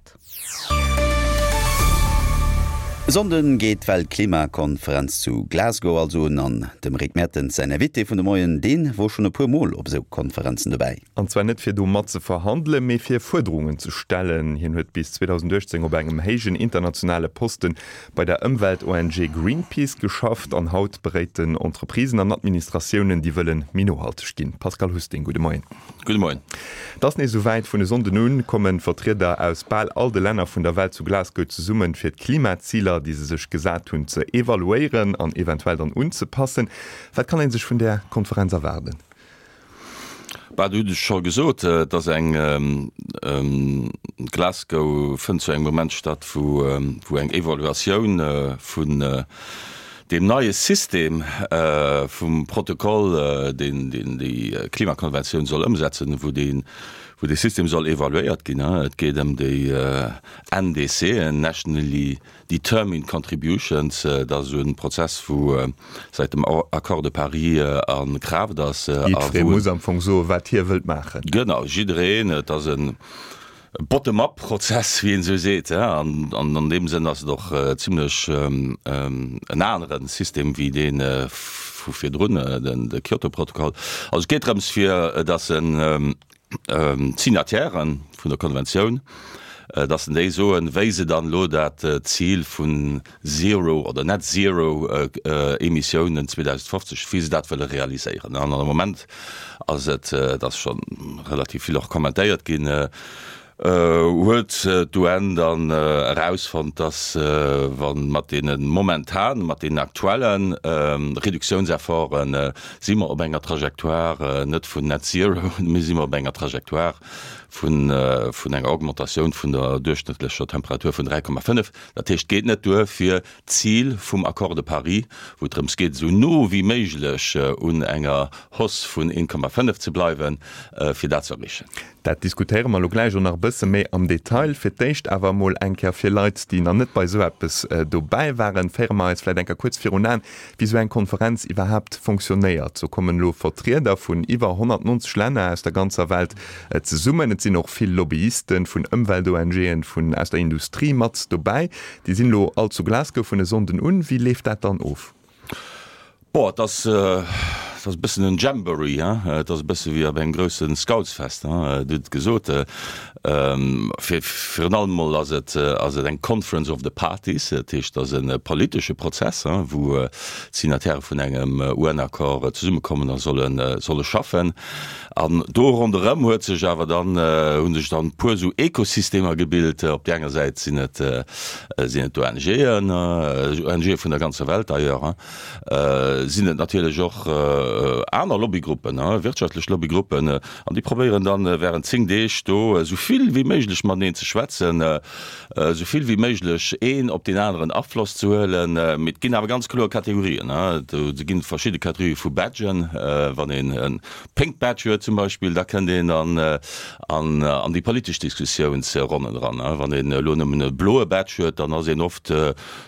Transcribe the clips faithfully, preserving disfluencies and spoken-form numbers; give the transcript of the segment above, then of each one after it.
Grad. E Sonnden geet d'Weltklimakonferenz zu Glasgow also un an dem Rick Mertens säin Invité vun de Moien, dee wor schonn e puer Mol op esou Konferenzen dobäi. An zwar net fir do mat ze verhandelen, mee fir Fuerderungen ze stellen. Hien huet bis zweedausenduechtzéng op engem héijen internationale Posten bei der Ëmwelt-O N G Greenpeace geschafft an haut beréit en Entreprisen an Administratiounen, déi wëllen méi nohalteg ginn. Pascal Husting, gudde Moien. Gudde Moien. Et ass nees esouwäit, vun e Sonnden un kommen Vertrieder aus bal all de Länner vun der Welt zu Glasgow zesummen, fir d'Klimaziler, déi se sech gesat hunn, ze evaluéieren an eventuell dann unzepassen. Wat kann ee sech vun där Konferenz erwaarden? Bah, du hutt et scho gesot, et ass eng, Glasgow fënnt zu engem Moment statt, wou wou eng Evaluatioun vun deem neie System vum Protokoll, deen deen déi Klimakonventioun soll ëmsetzen, wou dee wou dee System soll evaluéiert ginn. Et geet ëm déi N D C, Nationally Determined Contributions. Dat ass esou e Prozess, wou säit dem Accord de Paris a Kraaft ass. Jiddweree muss am Fong soen, wat hie wëllt maachen. Genau, jiddereen. Et ass e Bottom-up-Prozess, wéi een esou seet. An an deem Sënn ass et och zimlech en anere System wéi dee vu virdrun, de Kyoto-Protokoll. Also et geet drëms, fir datt en d'Signatairen vun der Konventioun, dass en déi soen, wéi se dann elo dat Zil vun Zero oder Net Zero Emissiounen zweedausendfofzeg, wéi se dat wëlle realiséieren. An am Moment ass et, et ass scho relativ vill och kommentéiert ginn, huet d'U N dann erausfonnt, dass wa mat deene momentan, mat deenen aktuelle Reduktiounsefforten, si mer op enger Trajectoire net vun Net Zero, mee si mer op enger Trajectoire vun vun enger Augmentatioun vun der duerchschnëttlecher Temperatur vun dräi Komma fënnef. Dat heescht, et geet net duer fir d'Zil vum Accord de Paris, wou et drëms geet, esou no wéi méiglech un enger Hausse vun een Komma fënnef ze bleiwen, fir dat ze erreechen. Dat diskutéiere mer elo gläich och nach e bësse méi am Detail. Fir d'éischt awer emol eng Kéier fir Leit, déi nach net bei esou eppes dobäi waren, féiere mer eis vläicht eng Kéier kuerz virun Aen, wéi esou eng Konferenz iwwerhaapt fonctionnéiert. Do kommen elo Vertrieder vun iwwer honnertnonzeg Länner aus der ganzer Welt zesummen. Et sinn och vill Lobbyisten vun Ëmwelt-O N Gen, vun aus der Industrie mat dobäi. Déi sinn elo all zu Glasgow vun e Sonnden un. Wéi leeft dat dann of? Boah, et ass, et ass e bëssen en Jamboree, hein? Et ass e bësse wéi op engem grousse Scoutsfest, hein? Du hutt et gesot. Fir, virun allem mol ass et, ass et eng Conference of the Parties, dat heescht, et ass e politesche Prozess, hein, wou d'Signataire vun engem U N-Accord zesummekommen a sollen, solle schaffen. An do ronderëm huet sech awer dann, hu sech dann e puer esou Ekosystemer gebilt. Op där enger Säit sinn et, sinn et d'O N Gen, O N Ge vun der ganzer Welt d'ailleurs, hein, sinn et natierlech och aner Lobbygruppen, wirtschaftlech Lobbygruppen, an déi probéieren dann während zéng Deeg do esou vill wéi méiglech mateneen ze schwätzen, esou vill wéi méiglech een op deen aneren Afloss ze huelen. Mee et ginn awer ganz kloer Kategorien. Do ginn et verschidde Kategorië vu Badgen. Wann een e Pink Badge huet zum Beispill, da kënnt een an an déi politesch Diskussiounsronnen eran. Wann een elo nëmmen e bloe Badge huet, dann ass een oft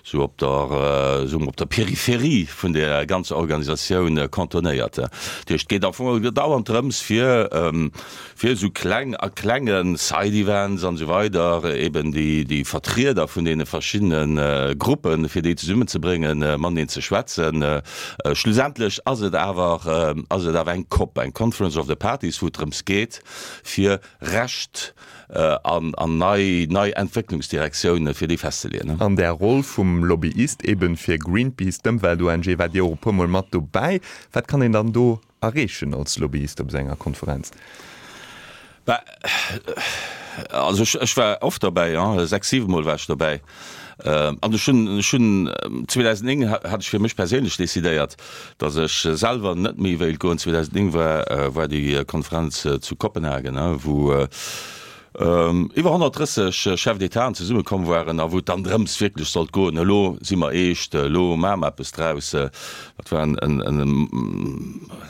sou op der, soe mer, op der Peripherie vun der ganzer Organisatioun cantonnéiert. Dat heescht, et geet am Fong dauernd drëms, fir, fir esou kleng a klenge Side-Events an esou weider eben déi, déi Vertrieder vun deene verschiddene Gruppen, fir déi zesummenzebréngen, mateneen ze schwätzen. Schlussendlech ass et awer, ass et awer eng COP, eng Conference of the Parties, wou et drëms geet, fir Recht an, an nei, nei Entwécklungsdirektioune fir déi festzeleeën. An där Roll vum Lobbyist eben fir Greenpeace, d'Ëmwelt-O N G, waart Dir och e puer Mol mat dobäi. Wat kann een dann do erreechen als Lobbyist op esou enger Konferenz? Bah, also ech, ech war oft dobäi, ja, sechs, siwe Mol war ech dobäi. An ech hunn, ech hunn zweedausendnéng hat ech fir mech perséinlech decidéiert, datt ech selwer net méi wéilt goen. zweedausendnéng war, war déi Konferenz zu Kopenhagen, wou iwwer honnertdrësseg Chefs d'Étaten zesummekomm waren a wou et dann drëms wierklech sollt goen, elo si mer eescht, elo maache mer eppes draus. Dat war en, en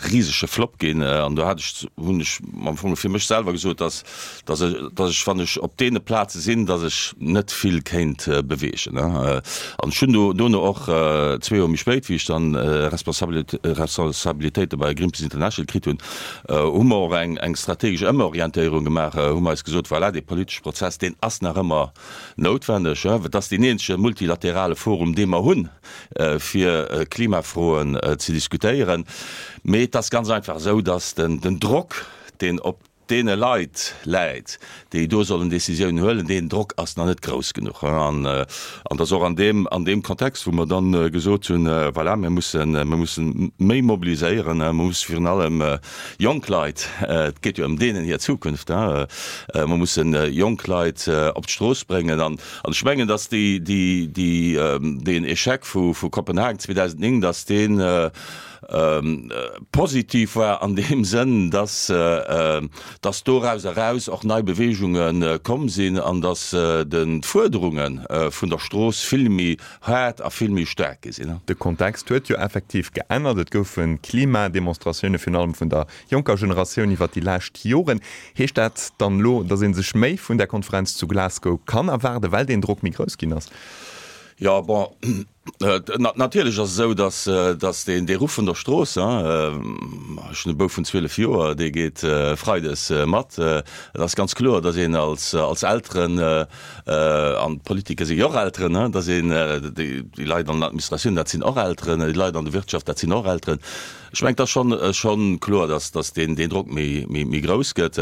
risege Flop ginn an do hat ech, hunn ech am Fong fir mech selwer gesot, datt, datt ech, datt ech, wann ech op deene Plaze sinn, datt ech net vill kéint beweegen. An ech hunn do dono och zwee Joer méi spéit, wéi ech dann Responsabilitéite bei Greenpeace International kritt hunn, hu mer och eng, eng strategesch Ëmorientéierung gemaach, hu mer eis gesot, gesot, voilà, dee politesche Prozess, deen ass nach ëmmer noutwendeg. Et ass deen eenzege multilaterale Forum, dee mer hunn, fir Klimafroen ze diskutéieren. Mee et ass ganz einfach esou, datt den Drock, deen op deene Leit läit, déi do sollen Décisiounen huelen, deen Drock ass nach net grouss genuch. An et ass och an deem, an deem Kontext, wou mer dann gesot hunn, voilà, mir mussen, mir mussen méi mobiliséieren, mer mussen virun allem jonk Leit, et geet jo ëm deenen hir Zukunft, mer mussen jonk Leit op d'Strooss bréngen. An ech mengen, datt déi, déi, déi, deen Échec vu Kopenhagen zweedausendnéng, datt deen, positiv war an deem Sënn, dass, dass doraus eraus och nei Beweegunge komm sinn an dass d'Fuerderunge vun der Strooss vill méi haart a vill méi staark gi sinn. De Kontext huet jo effektiv geännert. Et goufe Klimademonstratioune virun allem vun der jonker Generatioun iwwer déi lescht Joren. Heescht dat dann elo, dass ee sech méi vun där Konferenz zu Glasgow kann erwaarden, well deen Drock méi grouss ginn ass? Jo, bon, natierlech ass et esou, dass, dass deen, dee Ruff vun der Strooss, ech hunn e Bouf vun zwielef Joer, dee geet freides mat. Et ass ganz kloer, dass een als, als Elteren, an d'Politiker si jo och Elteren, dass een déi Leit an der Administratioun, dat sinn och Elteren, déi Leit an der Wirtschaft, dat sinn och Elteren. Ech mengen, et ass schonn, schonn kloer, dass, dass deen, deen Drock méi, méi, méi grouss gëtt.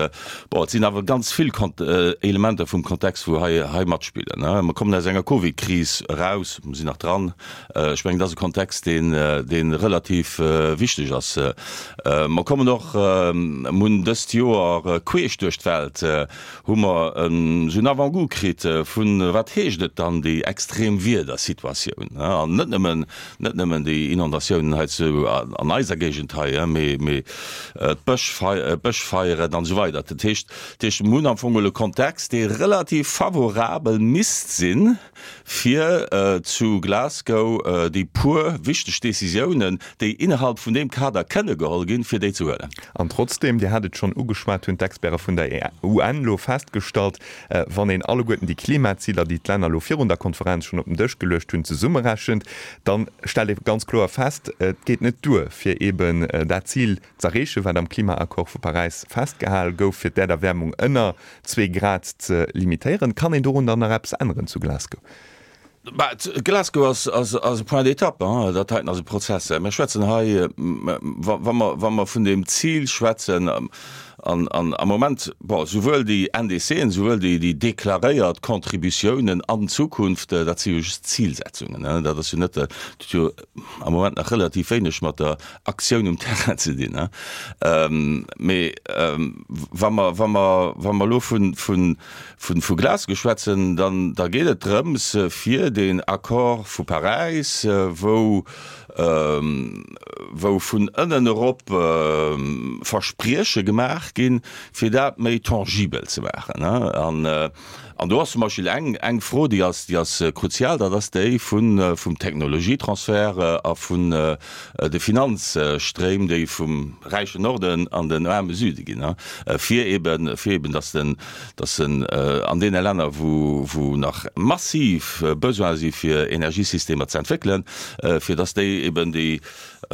Bon, et sinn awer ganz vill Kont-, Elementer vum Kontext, wou hei, hei matspillen. Mer kommen aus enger Covid-Kris eraus, mer sinn nach dran. Ech mengen, dat ass e Kontext, deen, dee relativ wichteg ass. Mer kommen och, mer hunn dëst Joer queesch duerch d'Welt hu mer esou en Avant-goût kritt vun, wat heescht et dann, déi extrem Wiedersituatioun, an net nëmmen, net nëmmen déi Inondatiounen hei zu, an eiser Géigend hei, mee, mee d'Bëschfeieren an esou weider. Dat heescht, dat heescht, mir hunn am Fong geholl e Kontext, dee relativ favorabel misst sinn, fir zu Glasgow déi puer wichteg Décisiounen, déi innerhalb vun deem Kader kënne geholl ginn, fir déi ze huelen. An trotzdeem, Dir hat et schonn ugeschwat, hunn d'Experte vun der U N elo festgestallt, wann een alleguerten déi Klimaziler, déi d'Länner elo virun der Konferenz schonn op den Dësch geluecht hunn, zesummerechent, da stellt ee ganz kloer fest, et geet net duer, fir eeben dat Zil z'erreechen, wat am Klimaaccord vu Paräis festgehal gouf, fir d'Äerderwäermung ënner zwee Grad ze limitéieren. Kann een dorun dann nach eppes änneren zu Glasgow? Bah, Glasgow ass, ass, ass e Point d'étape, hein. Dat heiten ass e Prozess. Mir schwätzen hei, wa, wa mer, wa mer vun deem Zil schwätzen, an, an am Moment, bon, souwuel déi N D Cen, souwuel déi, déi deklaréiert Contributiounen an Zukunft, dat si jo just Zilsetzungen, hein. Dat ass jo net, dat huet jo am Moment nach relativ wéineg mat der Aktioun um Terrain ze dinn, hein. Mee wa mer, wa mer, wa mer elo vun, vun, vun, vu Glasgow schwätzen, dann, da geet et drëms, fir deen Accord vu Paräis, wou, wou vun ënnen erop Versprieche gemaach ginn, fir dat méi tangibel ze maachen. An, an do ass zum Beispill eng, eng Fro, déi ass, déi ass kruzial, dat ass déi vun, vum Technologietransfert a vun de Finanzstréim, déi vum räichen Norden an den aarme Süde ginn, fir eben, fir eben, dass den, dass den an deene Länner, wou, wou nach massiv Besoin si fir Energiesystemer ze entwéckelen, fir dass déi eben déi,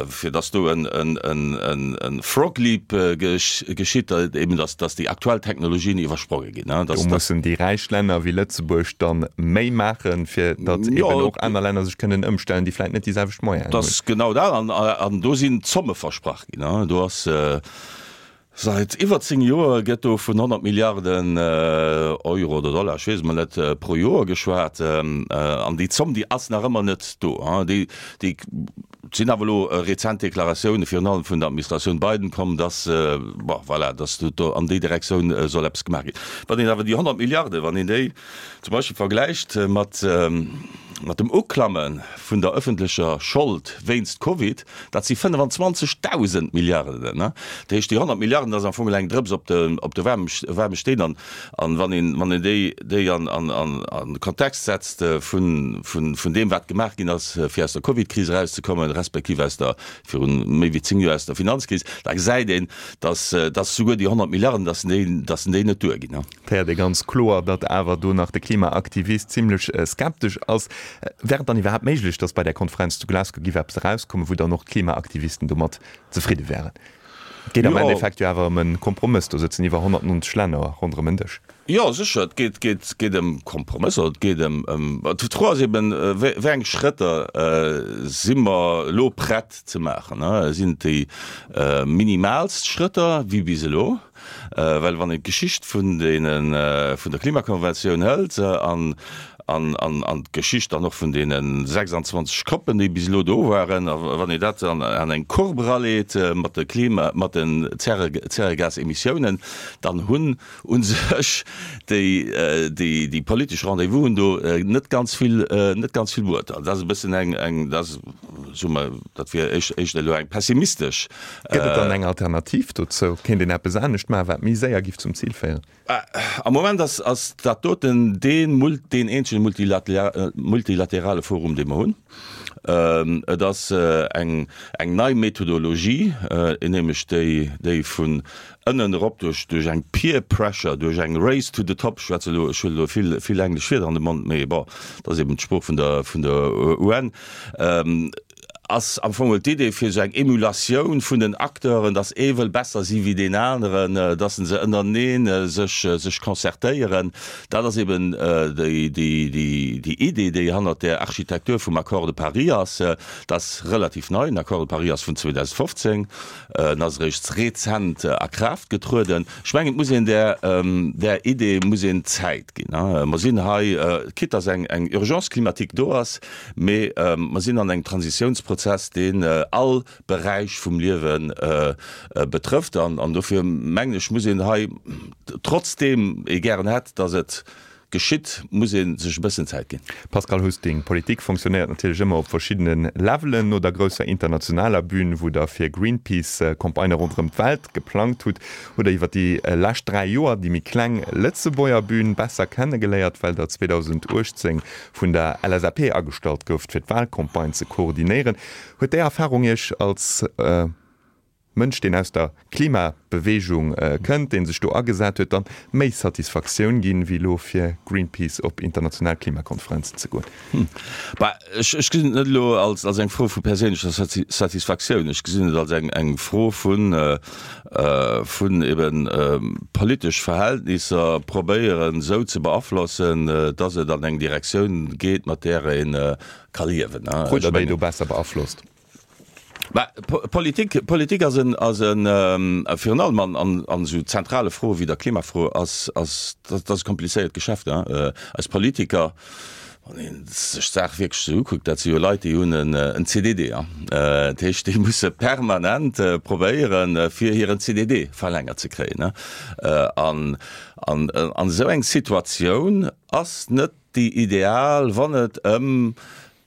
fir dass do en, en, en, en, en frog leap geschitt, eben dass, dass déi aktuell Technologien iwwerspronge ginn. Do mussen déi räich Länner wéi Lëtzebuerg dann méi maachen, fir datt eben och aner Länner sech kënnen ëmstellen, déi vläicht net déi selwecht Moyenen hunn. Dat ass genau dat. An, an do sinn Zomme versprach ginn. Do ass Sait iwwer zéng Joer gëtt do vun honnert Milliarden Euro oder Dollar, ech weess et mol net, pro Joer geschwat. An déi Zomm, déi ass nach ëmmer net do. Déi, déi sinn awer elo rezent Deklaratioune virun allem vun der Administratioun Biden komm, dass, bon, voilà, dass do an déi Direktioun soll eppes gemaach ginn. Wann een awer déi honnert Milliarden, wann een déi zum Beispill vergläicht mat, mat dem Uklamme vun der öffentlecher Schold wéinst Covid, dat si fënnefenzwanzegdausend Milliarden. Dat heescht, déi honnert Milliarden, dat ass am Fong eng Drëps op de, op de waarme, waarme Steen. An, an wann een, wann een déi, déi an, an, an, an de Kontext setzt vun, vun, vun deem, wat gemaach ginn ass, fir aus der Covid-Kris erauszekommen, respektiv aus der, virun méi wéi zéng Joer aus der Finanzkris, da gesäit een, dass, dass souguer déi honnert Milliarden, dass déi, dass déi net duerginn. Et héiert ee ganz kloer, datt awer do nach de Klimaaktivist zimlech skeptesch ass. Wär et dann iwwerhaapt méiglech, datt bei där Konferenz zu Glasgow giff eppes erauskommen, wou dann och d'Klimaaktivisten domat zefridde wären? Et geet am Endeffekt jo awer ëm e Kompromëss, do sëtzen iwwer honnertnonzeg Länner ronderëm en Dësch. Jo, sécher, et geet, geet, geet ëm Kompromësser, et geet ëm, ëm, d'Fro ass eben, wéi, wéi eng Schrëtter si mer elo prett ze maachen? Sinn et déi minimaalst Schrëtter wéi bis elo? Well wann een d'Geschicht vun deene, vun der Klimakonventioun hëlt an, an, an, an d'Geschicht dann och vun deene sechsandzwanzeg COPen, déi bis elo do waren, a wann een dat an, an eng Courbe eraleet mat de Klima, mat den Zäre, Zäregasemissiounen, dann hunn u sech déi, déi, déi politesch Rendez-vousen do net ganz vill, net ganz vill bruet. Dat ass e bëssen eng, eng, dat ass, soe mer, dat wier éischt, éischter elo eng pessimistesch. Gëtt et dann eng Alternativ dozou? Kéint een eppes anescht maachen, wat méi séier giff zum Zil féieren? Am Moment ass, ass dat doten dee Mul-, deen eenzege multilaterale Forum, dee mer hunn. Et ass eng, eng nei Methodologie, nämlech déi, déi vun ënnen erop duerch, duerch eng Peer Pressure, duerch eng Race to the top, ech schwätze elo, ech huelen elo vill, vill englesch Wierder an de Mond, mee bon, dat ass eben d'Sprooch vun der, vun der U N, ass am Fong d'Idee fir esou eng Emulatioun vun den Acteuren, dass ee wëll besser si wéi deen aneren, dass se ënnerenee sech, sech concertéieren. Dat ass eben déi, déi, déi, déi Idee, déi hannert där Architektur vum Accord de Paris ass. Dat ass relativ nei. Den Accord de Paris ass vun zweedausendfofzéng, en ass eréischt rezent a Kraaft getrueden. Ech mengen, et muss een där, där Idee muss een Zäit ginn. Mer sinn hei, quitte dass eng, eng Urgence climatique do ass, mee mer sinn an engem Transitiounsprozess, deen all Beräich vum Liewe betrëfft. An dofir mengen ech, muss een hei, trotzdeem ee gären hätt, datt et geschitt, muss ee sech e bëssen Zäit ginn. Pascal Husting, Politik fonctionnéiert natierlech ëmmer op verschiddene Levelen. No der grousser internationaler Bühn, wou Der fir Greenpeace Campagnë ronderëm d'Welt geplangt hutt, hutt Der iwwer déi lescht dräi Joer déi méi kleng Lëtzebuerger Bühn besser kennegeléiert, well Der zweedausendachtzéng vun der L S A P agestallt gouft, fir d'Wahlcampagne ze koordinéieren. Huet déi Erfarung Iech als Mënsch, deen aus der Klimabeweegung kënnt, dee sech do agesat huet, dann méi Satisfaktioun ginn, wéi elo fir Greenpeace op international Klimakonferenzen ze goen? Bah, ech, ech gesinn et net elo als, als eng Fro vu perséinlecher Satisfaktioun. Ech gesinn et als eng, eng Fro vun, vun eben politesch Verhältnisser probéieren esou ze beaflossen, dass et an eng Direktioun geet, mat där ee ka liewen. Krut Der déi do besser beaflosst? Bah, Politik, Politik ass en, ass en, virun allem an, an, an esou zentrale Froe wéi der Klimafro, ass, ass, dat ass e komplizéiert Geschäft. Eis Politiker, wann ee sech d'Saach wierklech esou ukuckt, dat si jo Leit, déi hunn en, en C D D. Dat heescht, déi musse permanent probéieren, fir hiren C D D verlängert ze kréien. An, an, an esou eng Situatioun ass net déi ideal, wann et ëm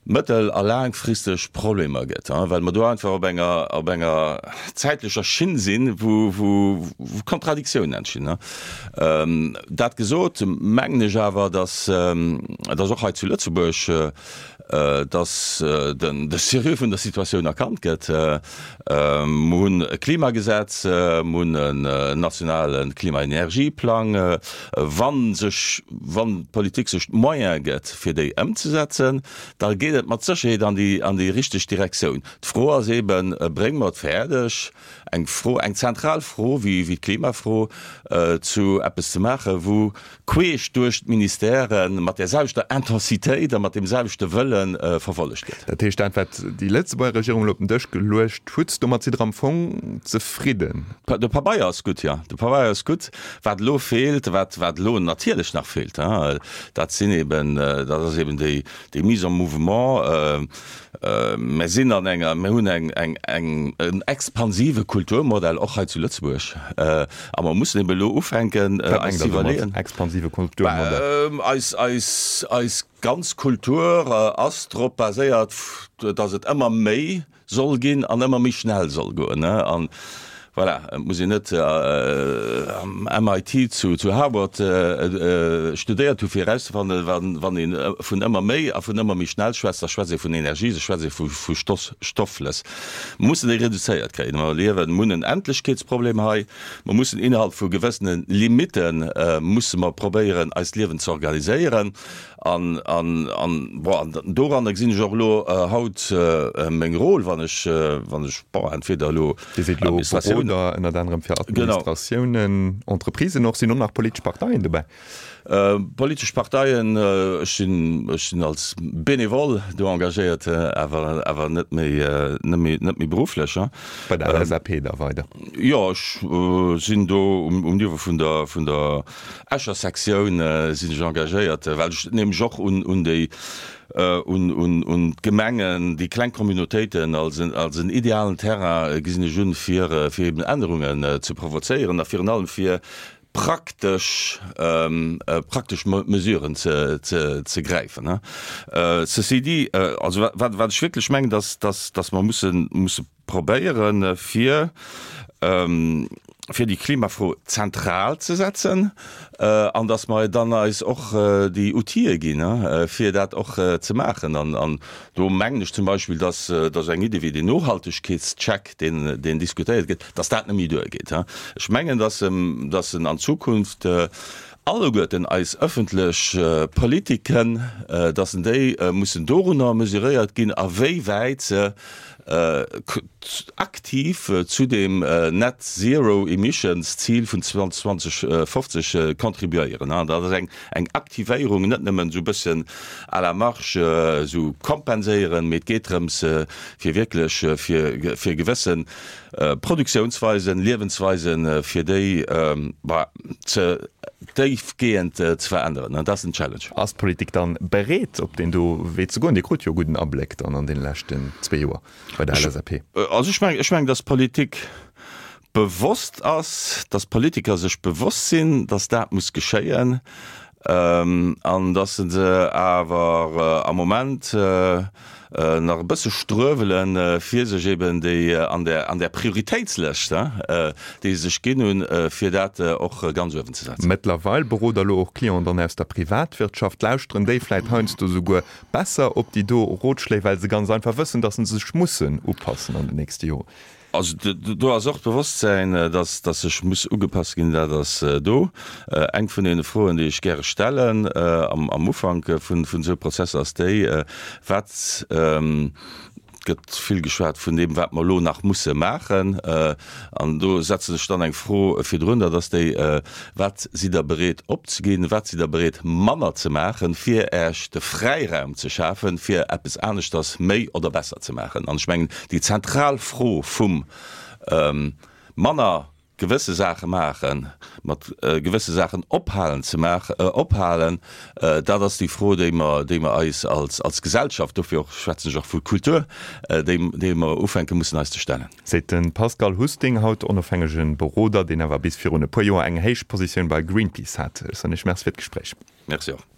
mëttel a laangfristeg Problemer gëtt, well mer do einfach op enger, op enger zäitlecher Schinn sinn, wou, wou, wou Kontradiktiounen entstinn. Dat gesot, mengen ech awer, dass, dass och hei zu Lëtzebuerg, dass den, de Sérieux vun der Situatioun erkannt gëtt. Mer hunn e Klimagesetz, mer hunn en nationale Klimaenergieplang. Wa sech, wann d'Politik sech d'Moyene gëtt, fir déi ëmzesetzen, da geet et mat Sécherheet an déi, an déi richteg Direktioun. D'Fro ass eben, Brénge mer et fäerdeg, eng Fro, eng zentral Fro wéi, wéi d'Klimafro zu eppes ze maachen, wou queesch duerch d'Ministèrë mat där selwechter Intensitéit a mat deem selwechte Wëlle verfollegt gëtt? Dat heescht, dat, wat déi Lëtzebuerger Regierung elo op den Dësch geluecht hutt, domat sidd Der am Fong zefridden? De Pabeier ass gutt, jo. De Pabeier ass gutt. Wat elo feelt, wat, wat elo natierlech nach feelt, dat sinn eben, dat ass eben déi, déi Mise en mouvement. Mir sinn an enger, mir hunn eng, eng, eng, en expansive Kulturmodell och hei zu Lëtzebuerg a mer mussen eben elo ufänken eis ze iwwerleeën. Expansive Kulturmodell? Eis, eis, eis ganz Kultur ass drop baséiert, datt et ëmmer méi soll ginn an ëmmer méi schnell soll goen. An voilà, et muss een net am M I T zu, zu Harvard studéiert hu fir erauszefannen, wann, wann ee vun ëmmer méi a vun ëmmer méi schnell schwätzt, da schwätzt ee vun Energie, da schwätzt ee vu, vu Stoff, Stoffflëss. Mer mussen déi reduzéiert kréien. Mer liewen, mer hunn en Endlechkeetsproblem hei. Mer mussen innerhalb vu gewëssene Limite musse mer probéieren, eist Liewen ze organiséieren. An, an, an, bon, an doranner gesinn ech och elo haut meng Rôle, wann ech, wann ech, bon, entweder elo Dir sidd elo Administratioun Beroder ënnert anerem fir Administratiounen, Entreprisen och. Sinn och nach politesch Parteien dobäi? Politesch Parteien, ech sinn, ech sinn als Benevole do engagéiert, awer, awer net méi, net méi, net méi berufflech. Bei der LSAP da weider? Jo, ech sinn do um, um Niveau vun der, vun der Escher Sektioun sinn ech engagéiert, well ech nämlech och un, un déi, un, un, un d'Gemengen, déi kleng Communautéiten als en, als en idealen Terrain gesinn ech un, fir, fir eben Ännerungen ze provozéieren a virun allem fir praktesch, praktesch Mesuren ze, ze, ze gräifen. Ceci dit, also wat, wat ech wierklech mengen, dass, dass, dass mer mussen, musse probéieren, fir, fir déi Klimafro zentral ze setzen an dass mer dann eis och déi Outile ginn, fir dat och ze maachen. An, an do mengen ech zum Beispill, dass, dass eng Idee wéi den Nohaltegkeetscheck, deen, deen diskutéiert gëtt, dass dat net méi duergeet. Ech mengen, dass, dass en an Zukunft alleguerten eis öffentlech Politiken, dass en déi mussen dorunner mesuréiert ginn, a wéi wäit se aktiv zu deem Net Zero Emissions Zil vun zweitausendzwanzig contribuéieren. Dat ass eng eng Aktivéierung, net nëmmen esou e bëssen à la marge esou kompenséieren, mee et geet drëms fir wierklech fir fir gewësse Produktiounsweisen, Liewensweisen, fir déi ze déifgehend ze veränneren. An dat ass den Challenge. Ass d'Politik dann bereet, op deen do Wee ze goen? Dir krut jo e gudden Abléck dann an deene leschten zwee Joer bei der LSAP. Also ech mengen, ech mengen, dass d'Politik bewosst ass, dass d'Politiker sech bewosst sinn, dass dat muss geschéien, an dass se awer am Moment nach e bësse struewelen, fir sech eben déi an der, an der Prioritéitslëscht, déi se sech ginn hunn, fir dat och ganz uewen ze setzen. Mëttlerweil berot Der elo och Clienten dann aus der Privatwirtschaft. Lauschteren déi vläit heiansdo souguer besser op déi do Rotschléi, well se ganz einfach wëssen, dass se sech mussen upassen an den nächste Joren? Also do ass och d'Bewosstsäin, dass dass sech muss ugepasst ginn, dat ass do. Eng vun deene Froen, déi ech gäre stellen am am Ufank vun vun esou Prozesser, ass déi, Wat, et gëtt vill geschwat vun deem, wat mer elo nach musse maachen, an do setzen ech dann eng Fro virdrun, dat ass déi, Wat sidd Der bereet opzeginn, wat sidd Der bereet manner ze maachen, fir Äech de Fräiraum ze schafen, fir eppes aneschters méi oder besser ze maachen? An ech mengen, déi zentral Fro vum manner gewësse Saache maachen, mat gewësse Saachen ophalen ze maachen, ophalen, dat ass déi Fro, déi mer, déi mer eis als, als Gesellschaft, dofir och schwätzen ech och vu Kultur, déi, déi mer ufänke mussen eis ze stellen. Seet de Pascal Husting, haut onofhängege Beroder, deen awer bis virun e puer Joer eng héich Positioun bei Greenpeace hat. Ech soen Iech Merci fir d'Gespréich. Merci och.